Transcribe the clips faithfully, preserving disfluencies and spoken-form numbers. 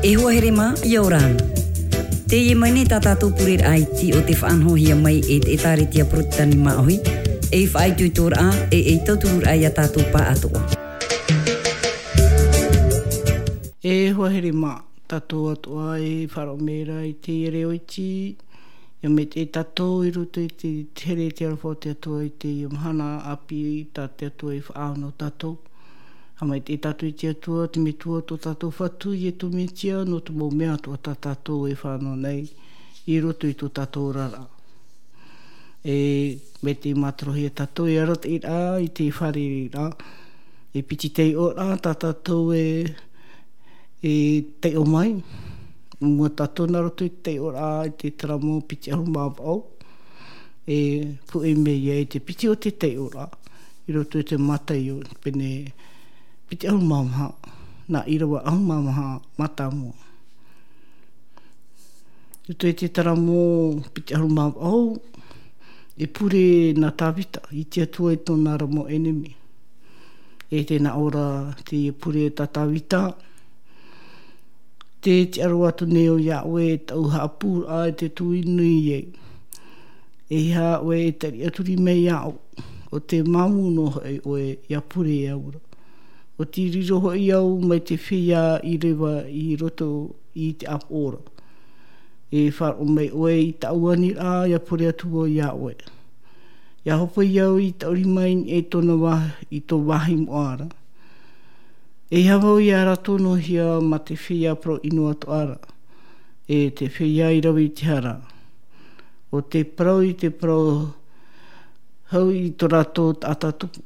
E hoa here mā, ʻia ora na. Teie mai nei tā tātou pureraʻa iti o te faʻanahohia mai e te ʻĒtārētia Porotetani Māʻohi, ei faʻaitoitoraʻa, e ei tautururaʻa ia tātou pāʻatoʻa. E hoa here mā, tātou atoʻa e faʻaroʻo mai ra i teie reo iti, ʻia maitaʻi tātou i roto i te, te here i te aroha o te Atua i teie mahana ʻāpī tā te Atua i faʻaau nō tātou. ʻIa maitaʻi tātou i te Atua, te Metua tō tātou Fatu, Ietu Metia, nō te mau mea atoʻa tā tātou e fānaʻo nei i roto i tō tātou oraraʻa. E maitaʻi mātaro hia tātou e arataʻi ra i te fārereiraʻa. E piti taiʻoraʻa tā tātou e, e taiʻo mai. Mua tātou nā roto i te taiʻoraʻa i te taramo piti ʻahuru mā vaʻu. E puʻe mai ia i te piti o te taiʻoraʻa. I roto i te Mataio, pene piti ʻahuru mā maha, nā ʻīrava ʻahuru mā maha, mātāmua. I roto i te taramo piti ʻahuru mā vaʻu, e pure nā Tāvita i te Atua i tōna ra mau ʻenemi. E tē nā ʻō ra teie pure tā Tāvita, tē tiʻa roa atu nei au iā ʻoe e taʻu haʻapūraʻa i te tui nui ai. E ʻeiaha ʻoe e tariʻaturi mai iāʻu, ʻo tē māmū noa hoʻi ʻoe ʻia pure au ra. ʻO tē riro hoʻi au mai te feiā i reva i roto i te ʻāpoʻo ra. E faʻaroʻo mai ʻoe i tāʻu aniraʻa ʻia pure atu vau iā ʻoe. ʻIa hōpoi au i taʻuri mai e tōna vā-, i tō vāhi moʻa ra. E ʻeiaha vau ʻia rātou noa hia mā te feiā parau ʻino atoʻa ra, e te feiā i rave i te hara. ʻO tē parau i te parau hau i tō rātou taʻata tupu.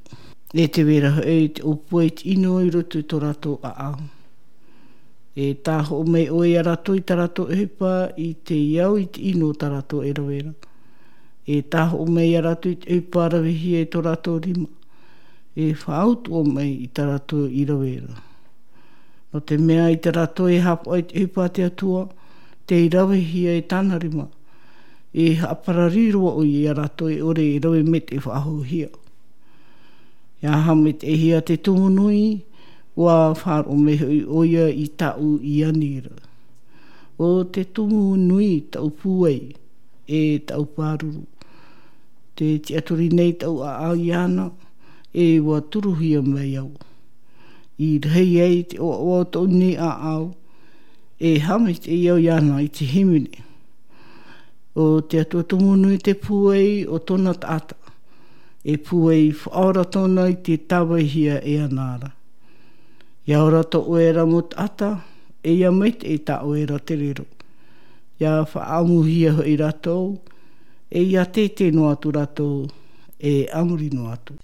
E tē vai ra hoʻi te ʻōpua i te ʻino i roto i tō rātou ʻāʻau. E tāhoʻo mai ʻoe iā rātou i tā rātou ʻohipa i te au i te ʻino tā rātou e rave ra. E tāhoʻo mai iā rātou i te ʻohipa ravehia i tō rātou rima. E faʻautuʻa mai i tā rātou i rave ra. Nō te mea i tā rātou e haʻapaʻo i te ʻohipa a te Atua, tei ravehia e tāna rima. E haʻaparari roa ʻoia iā rātou e ʻore e rave maitaʻi faʻahouhia. ʻIa haʻamaitaʻihia te tumu nui, ʻua faʻaroʻo mai hoʻi ʻoia i tāʻu i ani ra. ʻO te tumu nui taʻu pūai, e taʻu pāruru. Tē tiʻaturi nei taʻu ʻāʻau iāna, e ʻua turuhia mai au. I rahi ai te ʻoaʻoa o tōʻu nei ʻāʻau, e haʻamaitaʻi au iāna i te hīmene. ʻO te Atua tumu nui te pūai o tōna taʻata. E pūai faʻaora tōna i te tāvaihia e ana ra. ʻIa ora tō ʻoe ra mau taʻata, e ʻia maitaʻi tā ʻoe ra te riro. ʻIa faʻaʻamuhia hoʻi rātou, e ʻia teitei noa atu rātou, e a muri noa atu.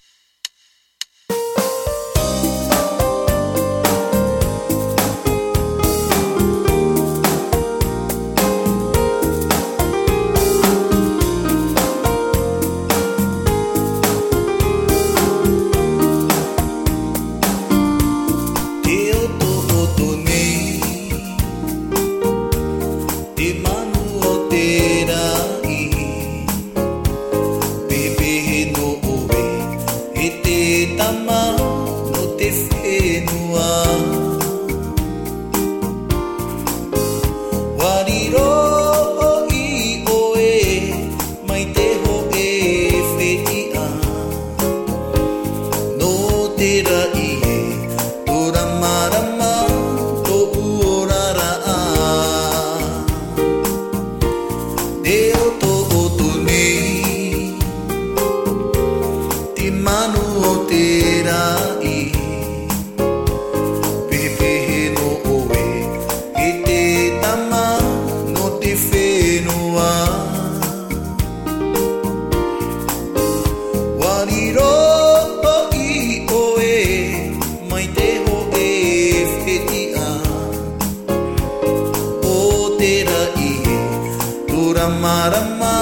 Te otoʻoto nei, te manu o te raʻi, pepehe nō ʻoe, e te tama nō te fenua. ʻUa riro hoʻi ʻoe mai te hōʻē fetiʻa. Nō te raʻi e, tō Ramarama tōʻu oraraʻa. Te otoʻoto nei, te manu o te raʻi. Pepehe nō ʻoe, e te tama nō te fenua. ʻUa riro hoʻi ʻoe mai te hōʻē fetiʻa. O te raʻi e, tō Ramarama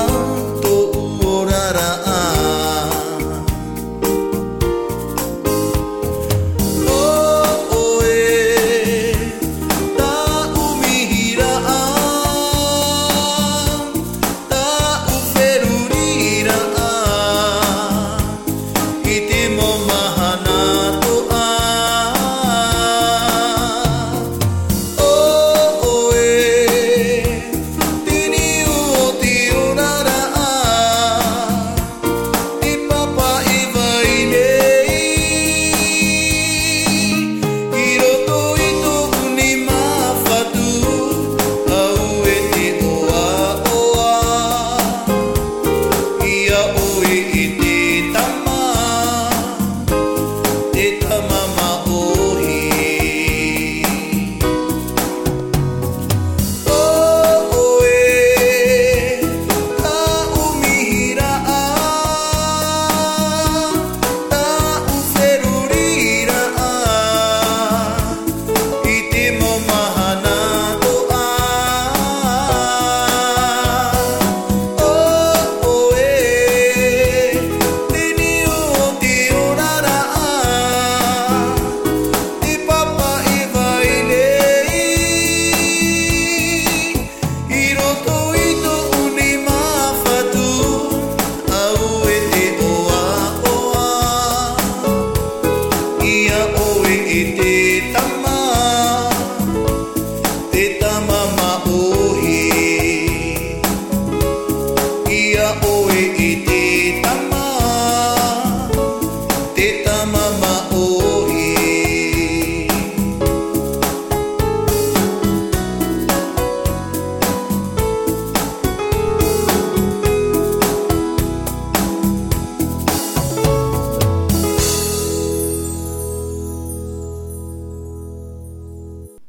tōʻu oraraʻa. O ʻoe, tāʻu mihiraʻa, tāʻu feruriraʻa, i te mau mahana atoʻa.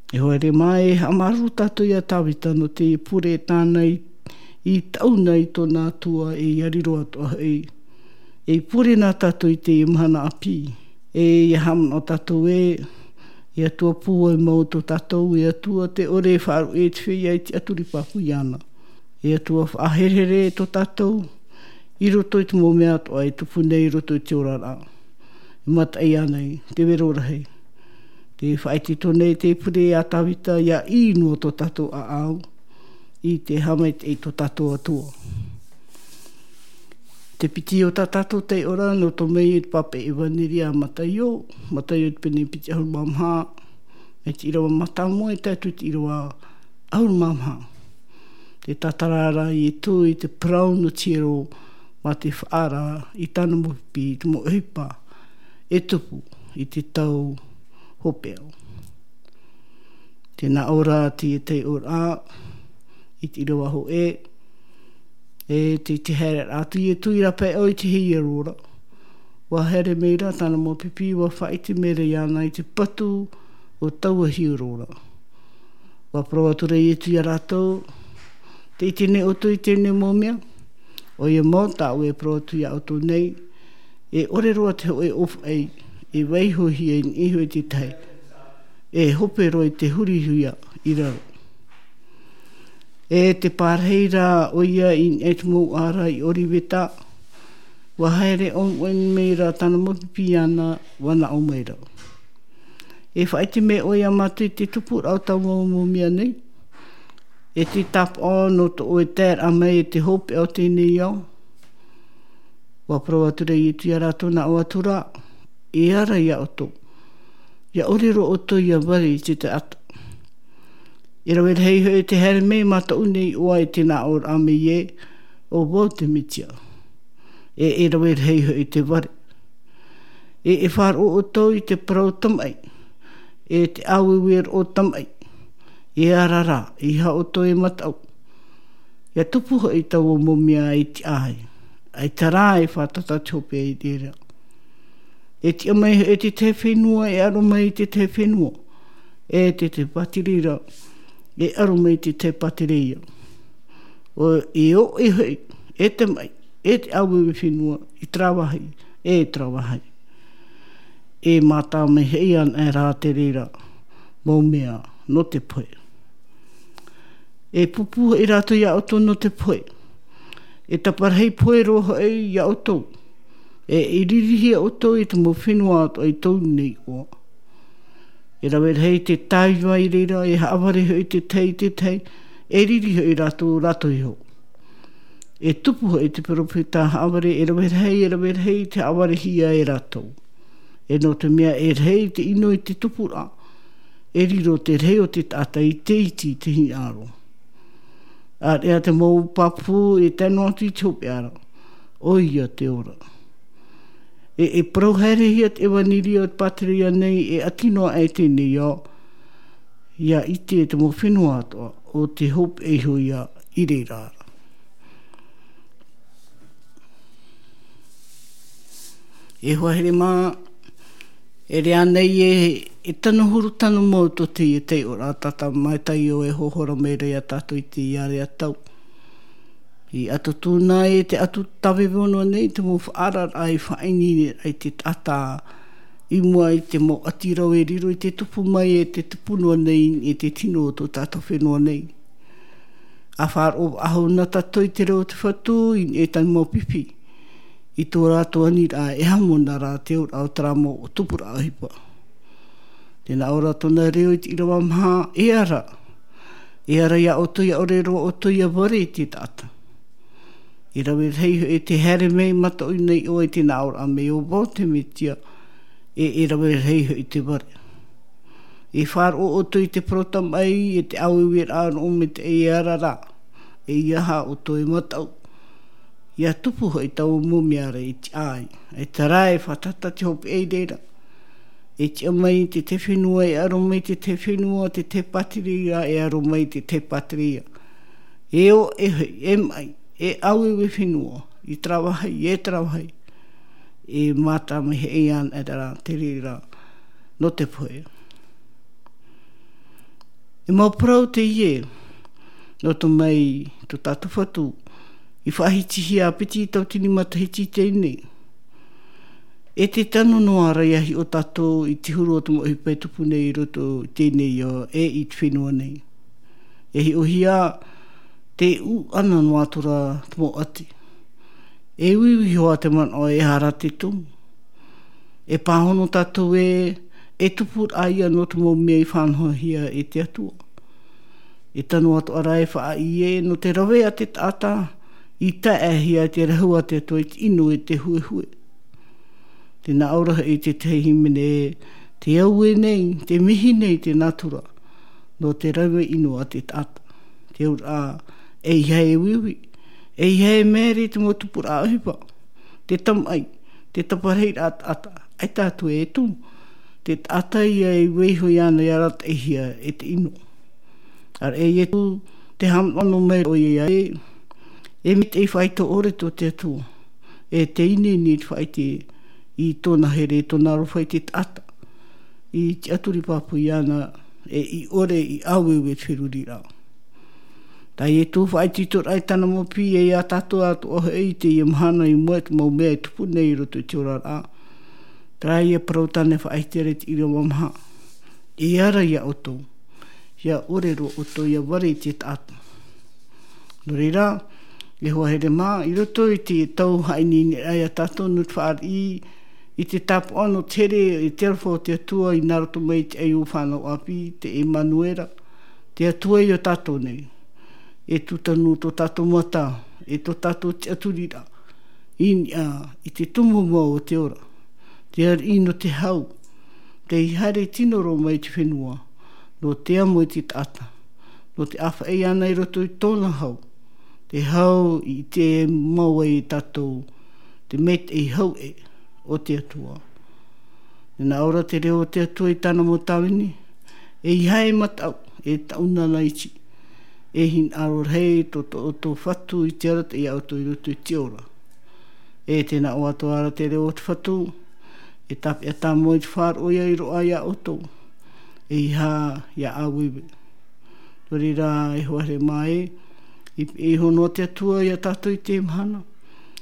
E haere mai, e haʻamāuruuru tātou iā Tāvita nō te pure tāna i, i taʻu na i tōna Atua, e ia riro atoʻa hoʻi. E pure nā tātou i te mahana ʻāpī. E ia haʻamanaʻo tātou ē, e Atua pūai mau tō tātou, e Atua tē ʻore e faʻaruʻe i te feiā i te tiʻaturi pāpū iāna. E Atua faʻaherehere tō tātou, i roto i te mau mea atoʻa e tupu nei i roto i te oraraʻa. E mataʻi ānei, te vero rahi. Tē faʻaʻite atu nei te pure iā Tāvita, ia ʻī noa tō tātou ʻāʻau, i te haʻamaitaʻi i tō tātou Atua. Te piti o tā tātou taiʻoraʻa, nō tō mai i te pāpaʻi ʻevaneria a Mataio, Mataio te pene piti ʻahuru mā maha, mai te ʻīrava mātāmua e tae atu i te ʻīrava ʻahuru mā maha. Tē tātara ra Ietu i te parau nō te hiero mā te faʻaara i tāna mau pipi, i te mau ʻohipa e tupu i te tau hopeʻa. Tē nā ʻō ra te taiʻoraʻa i te ʻīrava hōʻē, e tē, tē haere atu Ietu i rāpae ʻau i te hiero ra. ʻUa haere mai ra tāna mau pipi, ʻua faʻaʻite mai ra iāna i te patu o taua hiero ra. ʻUa parau atu ra Ietu iā rātou, tē ʻite nei ʻoutou i teie nei mau mea? ʻOia mau, tāʻu e parau atu iā ʻoutou nei, e ʻore roa te hōʻē ʻōfaʻi e vaihohia i niʻa iho i te tahi, e hope roa i te hurihia i raro. E tē pārahi ra ʻoia i niʻa i te mouʻa ra i ʻOriveta, ʻua haere ʻōmuʻa mai ra tāna mau pipi iāna, ʻua nā ʻō mai ra, e faʻaʻite mai ʻoe iā mātou i te tupuraʻa o taua mau mea nei, e te tāpaʻo nō tō ʻoe taeraʻa mai e te hopeʻa o teie nei ao? ʻUa parau atu ra Ietu iā rātou, nā ʻō atu ra, e ara iā ʻoutou, ia ʻore roa ʻoutou ia vare i te taʻata. E rave rahi hoʻi te haere mai mātou nei iʻoa i te nā ʻōraʻa mai ē, ʻo vau te Metia. E, e rave rahi hoʻi te vare. E, e faʻaroʻo ʻoutou i te parau tamaʻi, e te ʻāueue roʻo tamaʻi, e ara ra, ʻeiaha ʻoutou e mataʻu. Ia tupu hoʻi taua mau mea i te ʻāʻai, ʻaita rā e fātata te hopeʻa i reira. E tiʻa mai hoʻi te tahi fenua, e aro mai te tahi fenua, e te, te pātireia, e aro mai te tahi pātireia. ʻO, e ʻoʻe hoʻi, e te maʻi, e te ʻāueue fenua, i terā vāhi, e terā vāhi. E mātā mai hoʻi anaʻe rā te reira mau mea nō te pohe. E pūpū hoʻi rātou iā ʻoutou nō te pohe. E taparahi pohe roa hoʻi iā ʻoutou. E, e ririhia ʻoutou i te mau fenua atoʻa i tō nei iʻoa. E rave rahi te tāiva i reira, e haʻavare hoʻi te tahi i te tahi, e riri hoʻi rātou, rātou iho. E tupu hoʻi te peropheta haʻavare, e rave rahi, e rave rahi te haʻavarehia e rātou. E nō te mea e rahi te ʻino i te tupuraʻa, e riro te rahi o te taʻata i te iti i te hinaʻaro. ʻĀreʻa te mau pāpū e tae noa atu i te hopeʻa ra, ʻoia te ora. E, e parau haerehia te ʻevaneria o te pātireia nei, e ʻati noa aʻe teie nei ao, ia ʻite te mau fenua atoʻa, ʻo te hopeʻa iho ia i reira ra. E hoa here mā, e rave nei e, e tano huru tano mau tō teie taiʻoraʻa tā Mataio e hōhora mai ra iā tātou i teie ʻārea tau. I ʻAtutuna e te ʻatu tāvevo noa nei te mau faʻaararaʻa i faʻaineine ai te taʻata i mua i te mau ʻati rau e riro i te tupu mai e te tupu noa nei e te tino o tō tātou fenua nei. ʻA faʻaroʻo faʻahou na tātou i te reo o te Fatu i, e tahi mau pipi. I tō rātou aniraʻa e hamona rā te auraʻa o terā mau tupuraʻa ʻohipa. Tē nā ʻō ra tōna reo i te ʻīrava maha, e ara. E ara iā ʻoutou, ia ʻore roa ʻoutou ia vare i te taʻata. E rave rahi hoʻi te haere mai mātou nei iʻoa i te nā ʻōraʻa mai ʻo vau te Metia, e, e rave rahi hoʻi te vare. E faʻaroʻo ʻoutou i te parau tamaʻi, e te ʻāueueraʻa roʻo mai te, e ara ra, ʻeiaha ʻoutou e mataʻu. Ia tupu hoʻi taua mau mea ra i te ʻāʻai, ʻaita rā e fātata te hopeʻa i reira. E tiʻa mai te tahi fenua, e aro mai te tahi fenua, te tahi pātireia, e aro mai te tahi pātireia. E ʻoʻe hoʻi, e maʻi, e ʻāueue fenua, i terā vāhi, e terā vāhi. E mātā mai hoʻi anaʻe rā te reira nō te pohe. E mau parau teie, nō te mea tō tātou Fatu i faʻahitihia piti tautini matahiti teie nei. E te tano noa ra ia hiʻo tātou i te huru o te mau ʻohipa e tupu nei i roto i teie nei ao e i te fenua nei. E hiʻohia te ʻūʻana noa atu ra te mau ʻati. E uiui hoʻi te manaʻo e aha ra te tumu. E pāhono tātou ē, e tupuraʻa ia nō te mau mea i faʻanahohia e te Atua. E tano atoʻa ra e faʻaʻī ē, nō te rave a te taʻata i taeaʻehia te rahu a te Atua i te ʻino e te huehue. Tē nā ʻō ra hoʻi te tahi hīmene ē, te au ē nei, te mihi nei te nātura, nō te rave ʻino a te taʻata. Te auraʻa, ʻeiaha e uiui, ʻeiaha e maere i te mau tupuraʻa ʻohipa, te tamaʻi, te taparahi ra taʻata, ʻaita atu e tumu, te taʻata ia e vaiiho iāna i arataʻihia e te ʻino. ʻAreʻa Ietu, te haʻamanaʻo mai ʻoia ē, e maitaʻi faʻaitoito ʻore tō te Atua, e te ineine i te faʻaʻite i tōna here, tōna aroha i te taʻata, i tiʻaturi pāpū iāna, e i ʻore i ʻāueue te feruriraʻa. Tā Ietu faʻaitoitoraʻa i tāna mau piʻi ia tātou atoʻa hoʻi i teie mahana i mua i te mau mea e tupu nei i roto i te oraraʻa. Terā ia parau tāna e faʻaʻite ra i te ʻīrava maha. E ara ia ʻoutou. Ia ʻore roa ʻoutou ia vare i te taʻata. Nō reira, e hoa here mā, i roto i te tau haʻaineine ia tātou nō te fāriʻi i te tāpaʻo nō te here i te aroha o te Atua i nā roto mai i te ʻaiū fānau ʻāpī, te Emanuera, te Atua ia tātou nei. E tūtanu tō tātou mata, e tō tātou tiʻaturiraʻa, i niʻa i te tumu mau o te ora. Te ariʻi nō te hau, tei haere tino roa mai te fenua, nō te amo i te taʻata, nō te ʻāfaʻi iāna i roto i tōna hau, te hau i te mau ai e tātou, te maitaʻi hau ē o te Atua. Tē nā ʻō ra te reo o te Atua i tāna mau tāvini, ʻeiaha e mataʻu, e taʻu nāna iti, e hinaʻaro rahi tō, tō, tō Fatu i te arataʻi ia ʻoutou i roto i te ora. E tē nā ʻō atoʻa ra te reo o te Fatu, e tāpeʻa tāmau i te faʻaroʻo ia i roaʻa ia ʻoutou, ʻeiaha ia ʻāueue. Nō reira e hoa here mā ē, i, i hono te Atua ia tātou i te mahana,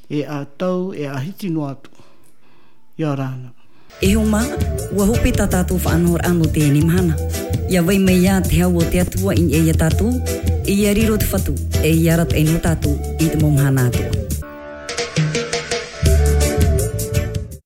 e ʻa tau, e ʻa hiti noa atu. Ia ora na. E hoa mā, ʻua hope tā tātou faʻanahoraʻa nō teie mahana. Ia vai mai ā te hau o te Atua i niʻa ia tātou, e ia riro te Fatu, e ia arataʻi nō tātou i te mau mahana atoʻa.